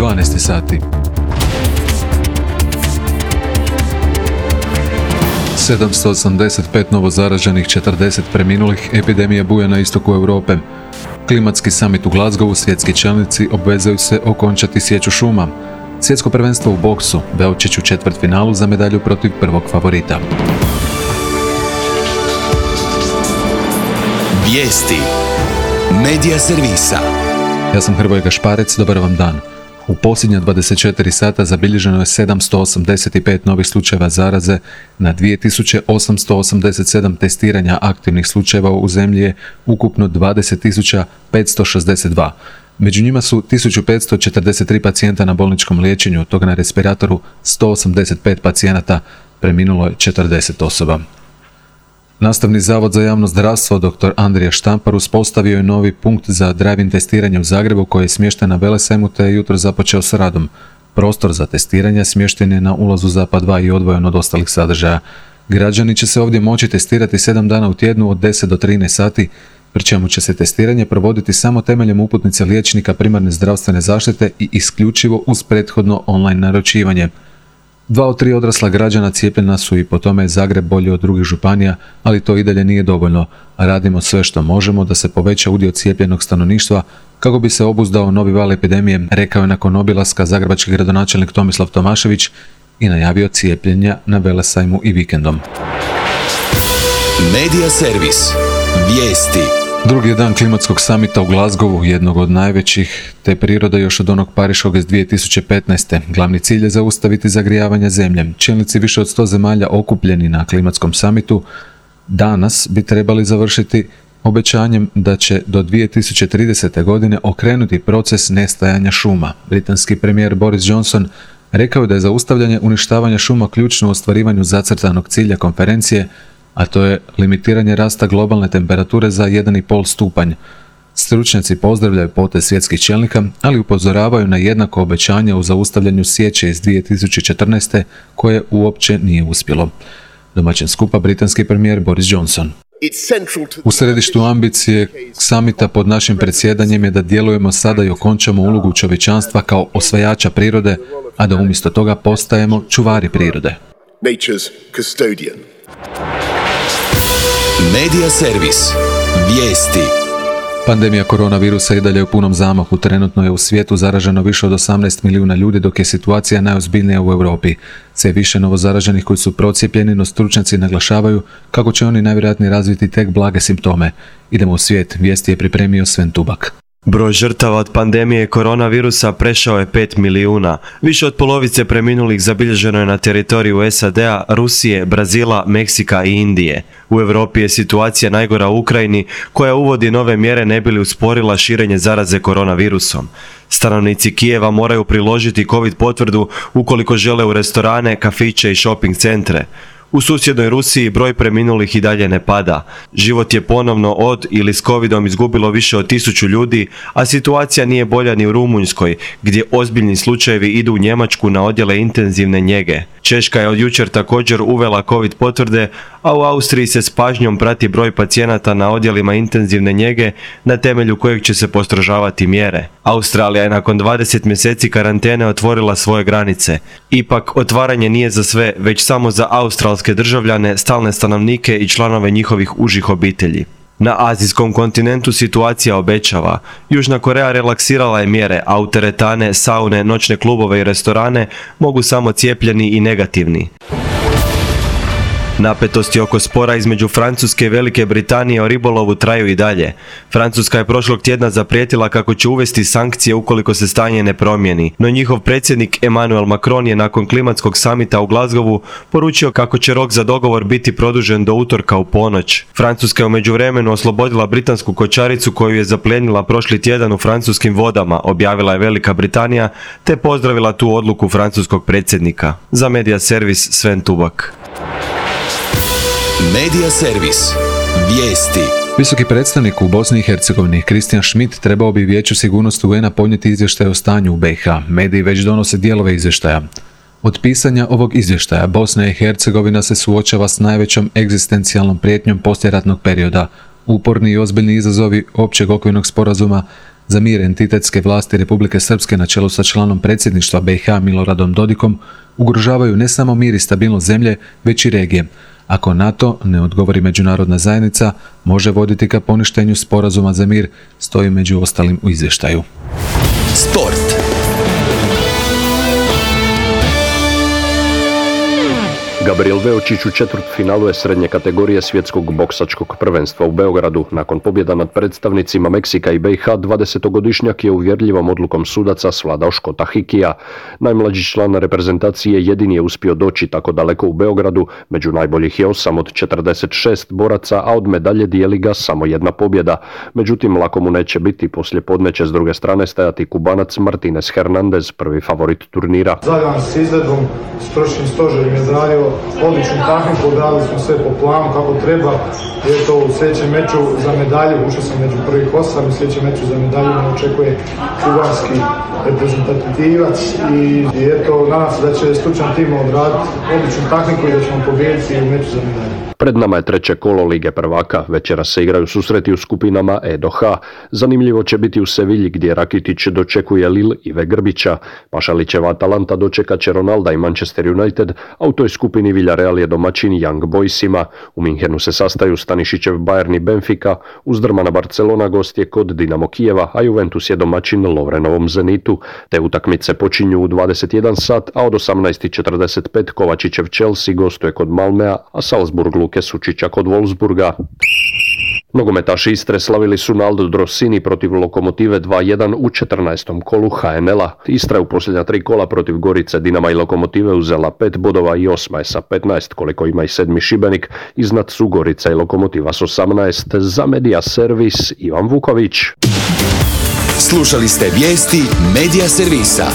12 sati. 785 novozaraženih, 40 preminulih, epidemija buja na istoku Europe. Klimatski samit u Glasgowu, svjetski čelnici obvezuju se okončati sječu šuma. Svjetsko prvenstvo u boksu, Beočić u četvrtfinalu za medalju protiv prvog favorita. Vijesti Medija servisa. Ja sam Hrvoje Gašparec, dobar vam dan. U posljednja 24 sata zabilježeno je 785 novih slučajeva zaraze na 2887 testiranja aktivnih slučajeva u zemlji je ukupno 20.562. Među njima su 1543 pacijenta na bolničkom liječenju, od toga na respiratoru 185 pacijenata, preminulo je 40 osoba. Nastavni zavod za javno zdravstvo dr. Andrija Štampar uspostavio je novi punkt za drive-in testiranje u Zagrebu koji je smješten na Velesajmu te je jutro započeo s radom. Prostor za testiranje smješten je na ulazu Zapad 2 i odvojen od ostalih sadržaja. Građani će se ovdje moći testirati 7 dana u tjednu od 10 do 13 sati, pri čemu će se testiranje provoditi samo temeljem uputnice liječnika primarne zdravstvene zaštite i isključivo uz prethodno online naručivanje. 2 od 3 odrasla građana cijepljena su i po tome je Zagreb bolji od drugih županija, ali to i dalje nije dovoljno. Radimo sve što možemo da se poveća udio cijepljenog stanovništva kako bi se obuzdao novi val epidemije, rekao je nakon obilaska zagrebački gradonačelnik Tomislav Tomašević i najavio cijepljenja na Velesajmu i vikendom. Medija servis. Vijesti. Drugi je dan klimatskog samita u Glasgowu, jednog od najvećih, te priroda još od onog Pariškog iz 2015. Glavni cilj je zaustaviti zagrijavanje zemlje. Čelnici više od 100 zemalja okupljeni na klimatskom samitu danas bi trebali završiti obećanjem da će do 2030. godine okrenuti proces nestajanja šuma. Britanski premijer Boris Johnson rekao je da je zaustavljanje uništavanja šuma ključno u ostvarivanju zacrtanog cilja konferencije, a to je limitiranje rasta globalne temperature za 1,5 stupanj. Stručnjaci pozdravljaju potez svjetskih čelnika, ali upozoravaju na jednako obećanje u zaustavljanju sječe iz 2014. koje uopće nije uspjelo. Domaćin skupa britanski premijer Boris Johnson. U središtu ambicije samita pod našim predsjedanjem je da djelujemo sada i okončamo ulogu čovječanstva kao osvajača prirode, a da umjesto toga postajemo čuvari prirode. Medija servis. Vijesti. Pandemija koronavirusa i dalje u punom zamahu. Trenutno je u svijetu zaraženo više od 18 milijuna ljudi, dok je situacija najozbiljnija u Europi. Sve više novozaraženih koji su procijepljeni, no stručnjaci naglašavaju kako će oni najvjerojatnije razviti tek blage simptome. Idemo u svijet. Vijesti je pripremio Sven Tubak. Broj žrtava od pandemije koronavirusa prešao je 5 milijuna. Više od polovice preminulih zabilježeno je na teritoriju SAD-a, Rusije, Brazila, Meksika i Indije. U Europi je situacija najgora u Ukrajini, koja uvodi nove mjere ne bi li usporila širenje zaraze koronavirusom. Stanovnici Kijeva moraju priložiti COVID potvrdu ukoliko žele u restorane, kafiće i shopping centre. U susjednoj Rusiji broj preminulih i dalje ne pada. Život je ponovno od ili s covidom izgubilo više od 1000 ljudi, a situacija nije bolja ni u Rumunjskoj, gdje ozbiljni slučajevi idu u Njemačku na odjele intenzivne njege. Češka je od jučer također uvela covid potvrde, a u Austriji se s pažnjom prati broj pacijenata na odjelima intenzivne njege, na temelju kojeg će se postrožavati mjere. Australija je nakon 20 mjeseci karantene otvorila svoje granice. Ipak, otvaranje nije za sve, već samo za australske državljane, stalne stanovnike i članove njihovih užih obitelji. Na azijskom kontinentu situacija obećava. Južna Koreja relaksirala je mjere, a u teretane, saune, noćne klubove i restorane mogu samo cijepljeni i negativni. Napetosti oko spora između Francuske i Velike Britanije o ribolovu traju i dalje. Francuska je prošlog tjedna zaprijetila kako će uvesti sankcije ukoliko se stanje ne promijeni, no njihov predsjednik Emmanuel Macron je nakon klimatskog samita u Glasgowu poručio kako će rok za dogovor biti produžen do utorka u ponoć. Francuska je u međuvremenu oslobodila britansku kočaricu koju je zaplijenila prošli tjedan u francuskim vodama, objavila je Velika Britanija, te pozdravila tu odluku francuskog predsjednika. Za Medija servis Sven Tubak. Medija servis. Vijesti. Visoki predstavnik u Bosni i Hercegovini Christian Schmidt trebao bi Vijeću sigurnosti UN-a podnijeti izvještaj o stanju u BiH. Mediji već donose dijelove izvještaja. Od pisanja ovog izvještaja Bosna i Hercegovina se suočava s najvećom egzistencijalnom prijetnjom poslijeratnog perioda. Uporni i ozbiljni izazovi općeg okvirnog sporazuma za mir entitetske vlasti Republike Srpske na čelu sa članom predsjedništva BiH Miloradom Dodikom ugrožavaju ne samo mir i stabilnost zemlje, već i regije. Ako NATO ne odgovori međunarodna zajednica, može voditi ka poništenju sporazuma za mir, stoji među ostalim u izvještaju. Sport. Gabriel Veočić u četvrtfinalu je srednje kategorije svjetskog boksačkog prvenstva u Beogradu. Nakon pobjeda nad predstavnicima Meksika i BiH, 20-godišnjak je uvjerljivom odlukom sudaca svladao Škota Hikija. Najmlađi član reprezentacije jedini je uspio doći tako daleko u Beogradu. Među najboljih je 8 od 46 boraca, a od medalje dijeli ga samo jedna pobjeda. Međutim, lako mu neće biti, poslije podne će s druge strane stajati Kubanac Martinez Hernandez, prvi favorit turnira. Zadovoljan s izvedbom, stručnim stožerom je odradio odličnu tehniku, odradili smo sve po planu kako treba. Eto, u sljedećem meču za medalju, ušao sam među prvih 8, u sljedećem meču za medalju me očekuje kubanski reprezentativac i eto, nadam se da će stručan tim odraditi odličnu tehniku i da ćemo pobijediti u meču za medalju. Pred nama je treće kolo Lige prvaka. Večera se igraju susreti u skupinama E do H. Zanimljivo će biti u Sevilji gdje Rakitić dočekuje Lille Ive Grbića. Pašalićeva Atalanta dočekat će Ronalda i Manchester United, a u toj skupini Villarreal je domaćin Young Boysima. U Minhenu se sastaju Stanišićev Bayern i Benfica, uzdrmana Barcelona gost je kod Dinamo Kijeva, a Juventus je domaćin Lovrenovom Zenitu. Te utakmice počinju u 21 sat, a od 18:45 Kovačićev Chelsea gostuje kod Malmea, a Salzburg Luke Sučića kod Wolfsburga. Nogometaši Istre slavili su na Aldo Drossini protiv Lokomotive 2-1 u 14. kolu HNL-a. Istra je u posljednja 3 kola protiv Gorice, Dinama i Lokomotive uzela 5 bodova i 8 je sa 15, koliko ima i 7. Šibenik. Iznad su Gorica i Lokomotiva s 18. Za Media Servis Ivan Vuković. Slušali ste vijesti Media Servisa.